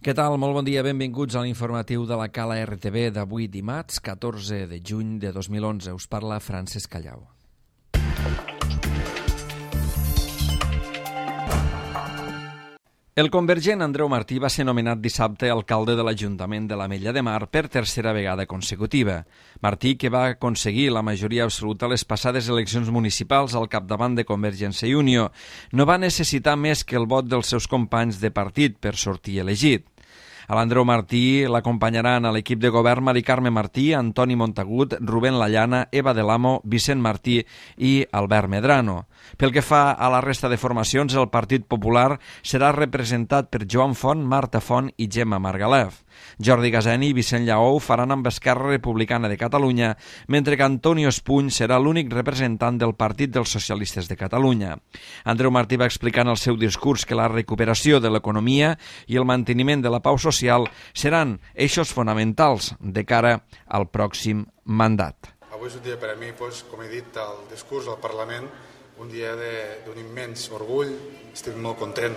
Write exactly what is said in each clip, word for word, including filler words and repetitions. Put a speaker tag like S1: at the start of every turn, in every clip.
S1: Què tal? Molt bon dia, benvinguts a l'informatiu de la Cala R T V d'avui dimarts, catorze de juny de dos mil onze. Us parla Francesc Callau. El convergent Andreu Martí va ser nomenat dissabte alcalde de l'Ajuntament de l'Ametlla de Mar per tercera vegada consecutiva. Martí, que va aconseguir la majoria absoluta a les passades eleccions municipals al capdavant de Convergència i Unió, no va necessitar més que el vot dels seus companys de partit per sortir elegit. A l'Andreu Martí l'acompanyaran a l'equip de govern Mari Carme Martí, Antoni Montagut, Rubén Lallana, Eva de l'Amo, Vicent Martí i Albert Medrano. Pel que fa a la resta de formacions, el Partit Popular serà representat per Joan Font, Marta Font i Gemma Margalef. Jordi Gaseni i Vicent Lleó faran amb Esquerra Republicana de Catalunya, mentre que Antonio Espuny serà l'únic representant del Partit dels Socialistes de Catalunya. Andreu Martí va explicar en el seu discurs que la recuperació de l'economia i el manteniment de la pau social seran eixos fonamentals de cara al pròxim mandat.
S2: Avui és un dia per a mi, doncs, com he dit al discurs al Parlament, un dia d'un immens orgull. Estic molt content.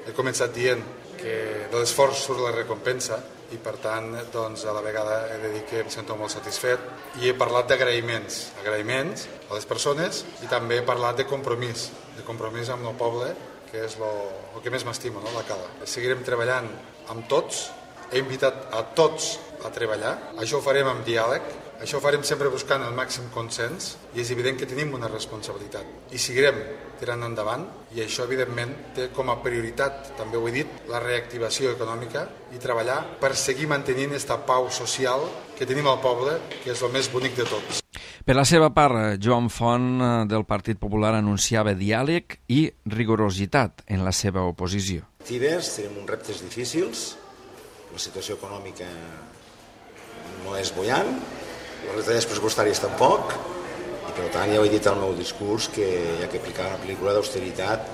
S2: He començat dient que de l'esforç surt la recompensa i, per tant, doncs, a la vegada he de dir que em sento molt satisfet. I he parlat d'agraïments, agraïments a les persones, i també he parlat de compromís, de compromís amb el poble, que és el que més m'estima, no? La Cala. Seguirem treballant amb tots, he invitat a tots a treballar, això ho farem amb diàleg, això ho farem sempre buscant el màxim consens, i és evident que tenim una responsabilitat i seguirem tirant endavant, i això evidentment té com a prioritat, també ho he dit, la reactivació econòmica i treballar per seguir mantenint aquesta pau social que tenim al poble, que és el més bonic de tots.
S1: Per la seva part, Joan Font del Partit Popular anunciava diàleg i rigorositat en la seva oposició.
S3: Tenim uns reptes difícils, la situació econòmica no és bullant, les retallades pressupostàries tampoc, i per tant ja ho he dit al meu discurs que hi ha que aplicar una pel·lícula d'austeritat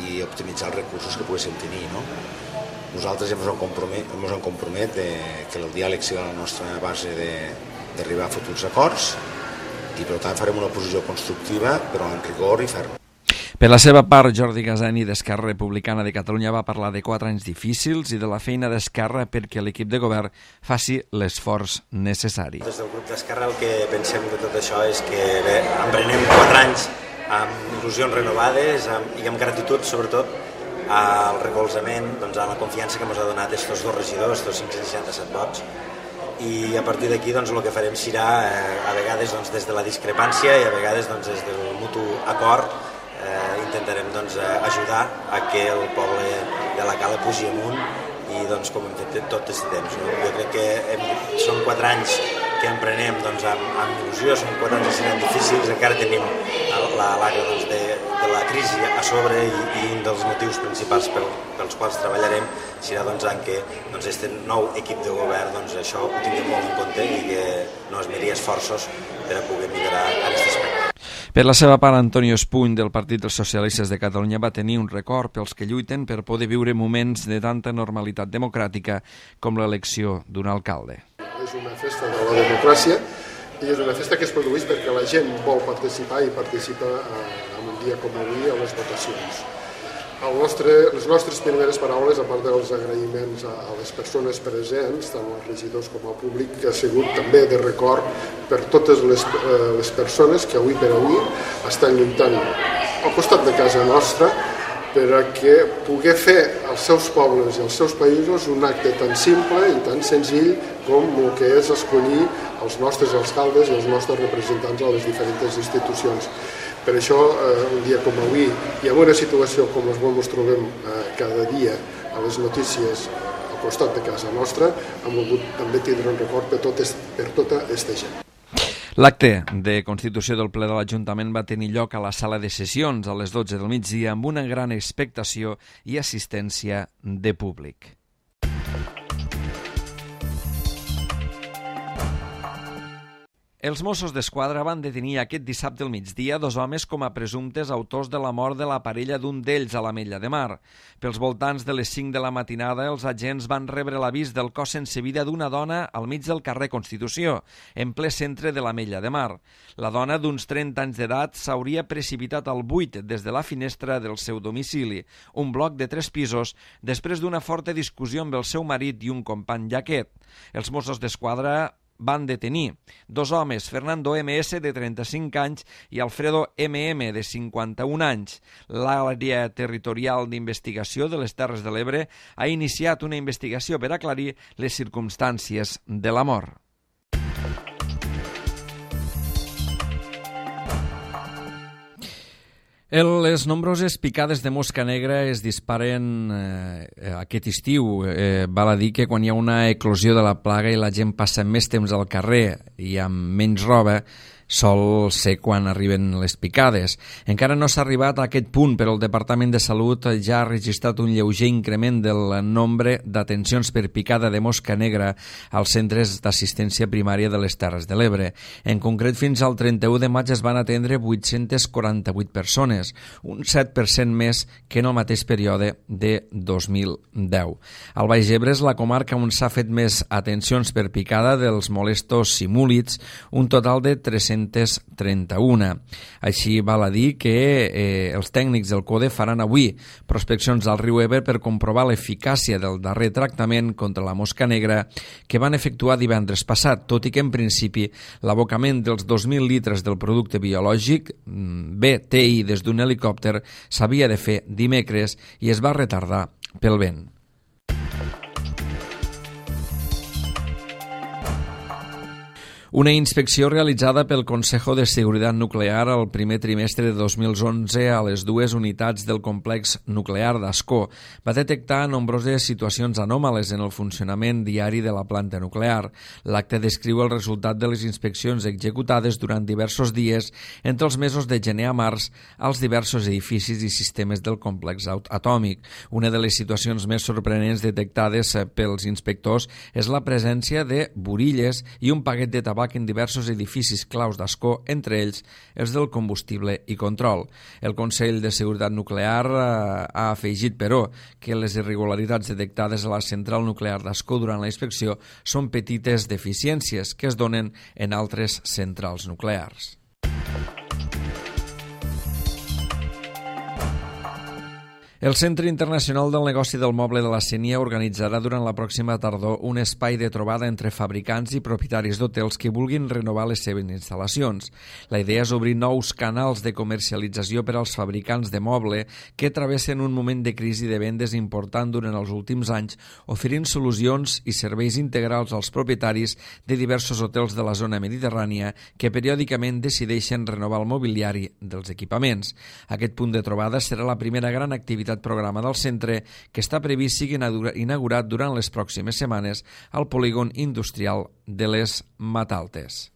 S3: i optimitzar els recursos que poguéssim tenir, no? Nosaltres ja ens hem compromet, ens hem compromet de, que el diàleg sigui la nostra base d'arribar a futurs acords, i per tant farem una oposició constructiva però amb rigor i ferm.
S1: Per la seva part, Jordi Gaseni d'Esquerra Republicana de Catalunya va parlar de quatre anys difícils i de la feina d'Esquerra perquè l'equip de govern faci l'esforç necessari.
S4: Des del grup d'Esquerra el que pensem de tot això és que bé, emprenem quatre anys amb il·lusions renovades amb, i amb gratitud sobretot al recolzament, doncs, a la confiança que ens ha donat aquests dos regidors, aquests cinc-cents seixanta-set vots, i a partir d'aquí doncs, el que farem serà eh, a vegades doncs, des de la discrepància i a vegades doncs, des del mutu acord Eh, intentarem doncs, ajudar a que el poble de la Cala pugi amunt i doncs, com hem fet tot aquest temps. No? Jo crec que hem, són quatre anys que emprenem doncs, amb, amb il·lusió, són quatre anys que seran difícils, encara tenim la l'aigua doncs, de, de la crisi a sobre i, i un dels motius principals pel, pels quals treballarem serà doncs, en què doncs, este nou equip de govern doncs, això ho tinguem molt en compte i que no es miri esforços per a poder millorar en aquest aspecte.
S1: Per la seva part, Antonio Espuny del Partit dels Socialistes de Catalunya va tenir un record pels que lluiten per poder viure moments de tanta normalitat democràtica com l'elecció d'un alcalde.
S5: És una festa de la democràcia i és una festa que es produeix perquè la gent vol participar i participa en un dia com avui a les votacions. El nostre, les nostres primeres paraules, a part dels agraïments a, a les persones presents, tant els regidors com al públic, que ha sigut també de record per totes les, eh, les persones que avui per avui estan lluitant al costat de casa nostra per a que poder fer als seus pobles i als seus països un acte tan simple i tan senzill com el que és escollir els nostres alcaldes i els nostres representants a les diferents institucions. Per això, eh, un dia com avui, i en una situació com la qual ens trobem eh, cada dia a les notícies al costat de casa nostra, hem volgut també tindre un record per, tot est, per tota aquesta gent.
S1: L'acte de constitució del ple de l'Ajuntament va tenir lloc a la sala de sessions a les dotze del migdia amb una gran expectació i assistència de públic. Els Mossos d'Esquadra van detenir aquest dissabte al migdia dos homes com a presumptes autors de la mort de la parella d'un d'ells a l'Ametlla de Mar. Pels voltants de les cinc de la matinada, els agents van rebre l'avís del cos sense vida d'una dona al mig del carrer Constitució, en ple centre de l'Ametlla de Mar. La dona, d'uns trenta anys d'edat, s'hauria precipitat al buit des de la finestra del seu domicili, un bloc de tres pisos, després d'una forta discussió amb el seu marit i un company d'aquest. Els Mossos d'Esquadra van detenir dos homes, Fernando eme esse, de trenta-cinc anys, i Alfredo eme eme, de cinquanta-un anys. L'àrea territorial d'investigació de les Terres de l'Ebre ha iniciat una investigació per aclarir les circumstàncies de la mort. Les nombroses picades de mosca negra es disparen eh, aquest estiu. Eh, val a dir que quan hi ha una eclosió de la plaga i la gent passa més temps al carrer i amb menys roba, sol ser quan arriben les picades. Encara no s'ha arribat a aquest punt, però el Departament de Salut ja ha registrat un lleuger increment del nombre d'atencions per picada de mosca negra als centres d'assistència primària de les Terres de l'Ebre. En concret, fins al trenta-u de maig es van atendre vuit-centes quaranta-vuit persones, un set per cent més que en el mateix període de dos mil deu. Al Baix Ebre és la comarca on s'ha fet més atencions per picada dels molestos simúlids, un total de tres-centes trenta-un. Així val a dir que eh, els tècnics del CODE faran avui prospeccions al riu Ebre per comprovar l'eficàcia del darrer tractament contra la mosca negra que van efectuar divendres passat, tot i que en principi l'abocament dels dos mil litres del producte biològic B T I des d'un helicòpter s'havia de fer dimecres i es va retardar pel vent. Una inspecció realitzada pel Consejo de Seguridad Nuclear al primer trimestre de dos mil onze a les dues unitats del complex nuclear d'Ascó va detectar nombroses situacions anòmales en el funcionament diari de la planta nuclear. L'acte descriu el resultat de les inspeccions executades durant diversos dies entre els mesos de gener a març als diversos edificis i sistemes del complex atòmic. Una de les situacions més sorprenents detectades pels inspectors és la presència de burilles i un paquet de tabac en diversos edificis claus d'Ascó, entre ells els del combustible i control. El Consell de Seguretat Nuclear ha afegit, però, que les irregularitats detectades a la central nuclear d'Ascó durant la inspecció són petites deficiències que es donen en altres centrals nuclears. El Centre Internacional del Negoci del Moble de la Sénia organitzarà durant la pròxima tardor un espai de trobada entre fabricants i propietaris d'hotels que vulguin renovar les seves instal·lacions. La idea és obrir nous canals de comercialització per als fabricants de moble que travessen un moment de crisi de vendes important durant els últims anys, oferint solucions i serveis integrals als propietaris de diversos hotels de la zona mediterrània que periòdicament decideixen renovar el mobiliari dels equipaments. Aquest punt de trobada serà la primera gran activitat programa del centre que està previst sigui inaugurat durant les pròximes setmanes al polígon industrial de les Mataltes.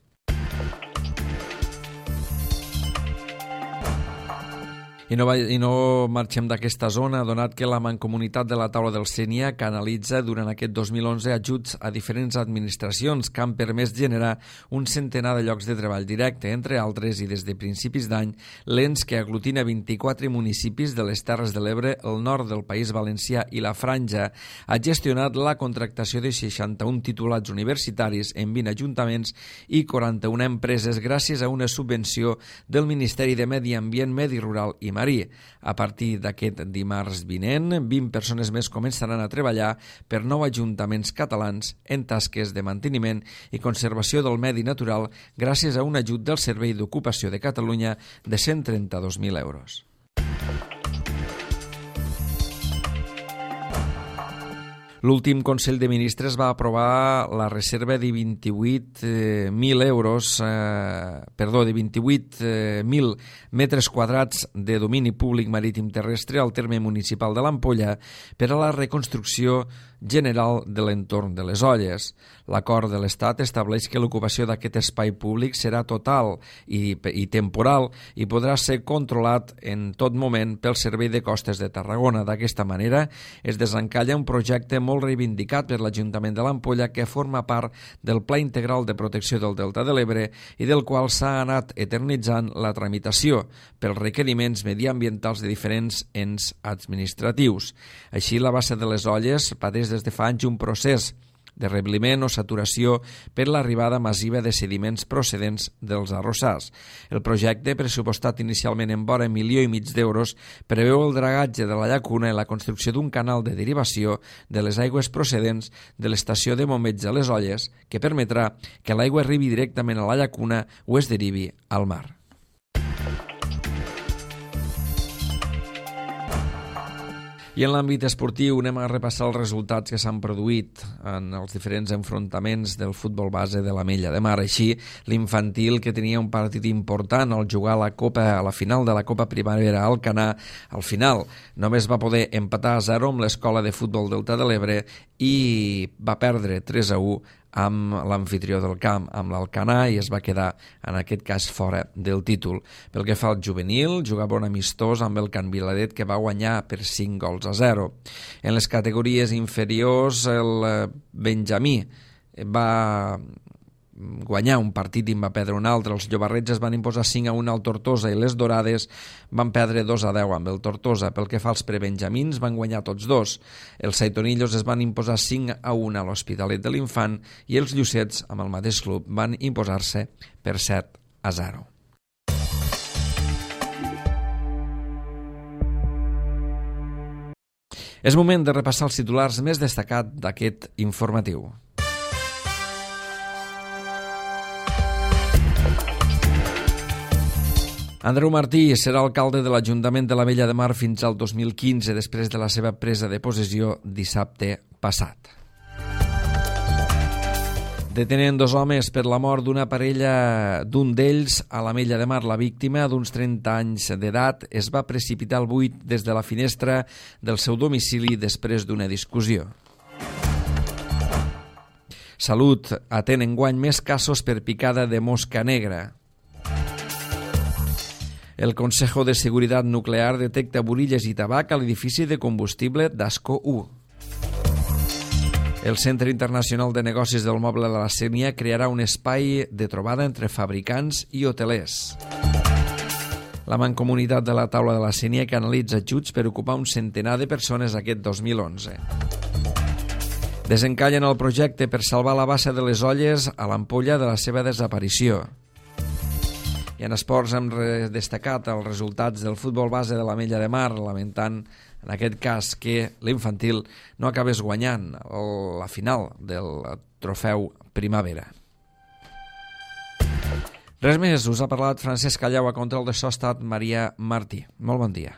S1: I no, I no marxem d'aquesta zona, donat que la Mancomunitat de la Taula del Sénia canalitza durant aquest dos mil onze ajuts a diferents administracions que han permès generar un centenar de llocs de treball directe, entre altres, i des de principis d'any, l'ens que aglutina vint-i-quatre municipis de les Terres de l'Ebre, el nord del País Valencià i la Franja, ha gestionat la contractació de seixanta-un titulats universitaris en vint ajuntaments i quaranta-una empreses gràcies a una subvenció del Ministeri de Medi Ambient, Medi Rural i Marí. A partir d'aquest dimarts vinent, vint persones més començaran a treballar per nou ajuntaments catalans en tasques de manteniment i conservació del medi natural gràcies a un ajut del Servei d'Ocupació de Catalunya de cent trenta-dos mil euros. L'últim Consell de Ministres va aprovar la reserva de vint-i-vuit mil euros, eh, perdó, de vint-i-vuit mil metres quadrats de domini públic marítim terrestre al terme municipal de l'Ampolla per a la reconstrucció general de l'entorn de les Olles. L'acord de l'Estat estableix que l'ocupació d'aquest espai públic serà total i, i temporal i podrà ser controlat en tot moment pel Servei de Costes de Tarragona. D'aquesta manera es desencalla un projecte molt molt reivindicat per l'Ajuntament de l'Ampolla, que forma part del Pla Integral de Protecció del Delta de l'Ebre i del qual s'ha anat eternitzant la tramitació pels requeriments mediambientals de diferents ens administratius. Així, la bassa de les Olles pateix des de fa anys un procés de rebliment o saturació per l'arribada massiva de sediments procedents dels arrossars. El projecte, pressupostat inicialment en vora milió i mig d'euros, preveu el dragatge de la llacuna i la construcció d'un canal de derivació de les aigües procedents de l'estació de bombeig de les Olles, que permetrà que l'aigua arribi directament a la llacuna o es derivi al mar. I en l'àmbit esportiu anem a repassar els resultats que s'han produït en els diferents enfrontaments del futbol base de l'Ametlla de Mar. Així, l'infantil, que tenia un partit important al jugar a la Copa, a la final de la Copa Primavera a Alcanar, al final només va poder empatar a zero amb l'Escola de Futbol Delta de l'Ebre i va perdre tres a u amb l'anfitrió del camp, amb l'Alcanar, i es va quedar, en aquest cas, fora del títol. Pel que fa al juvenil, jugava un amistós amb el Can Viladet, que va guanyar per cinc gols a zero. En les categories inferiors, el Benjamí va guanyar un partit i en va perdre un altre. Els llobarrets es van imposar cinc a un al Tortosa i les dorades van perdre dos a deu amb el Tortosa. Pel que fa als prebenjamins, van guanyar tots dos. Els saitonillos es van imposar cinc a un a l'Hospitalet de l'Infant i els llucets, amb el mateix club, van imposar-se per set a zero. És moment de repassar els titulars més destacats d'aquest informatiu. Andreu Martí serà alcalde de l'Ajuntament de l'Ametlla de Mar fins al dos mil quinze, després de la seva presa de possessió dissabte passat. Detenen dos homes per la mort d'una parella, d'un d'ells a l'Ametlla de Mar. La víctima, d'uns trenta anys d'edat, es va precipitar al buit des de la finestra del seu domicili després d'una discussió. Salut atén enguany més casos per picada de mosca negra. El Consejo de Seguridad Nuclear detecta burilles i tabac a l'edifici de combustible d'Ascó u. El Centre Internacional de Negocis del Moble de la Sénia crearà un espai de trobada entre fabricants i hotelers. La Mancomunitat de la Taula de la Sénia que analitza ajuts per ocupar un centenar de persones aquest dos mil onze. Desencallen el projecte per salvar la bassa de les Olles a l'Ampolla de la seva desaparició. I en esports hem destacat els resultats del futbol base de l'Ametlla de Mar, lamentant en aquest cas que l'infantil no acabés guanyant la final del trofeu Primavera. Res més, us ha parlat Francesc Callau, a control de so ha estat Maria Martí. Molt bon dia.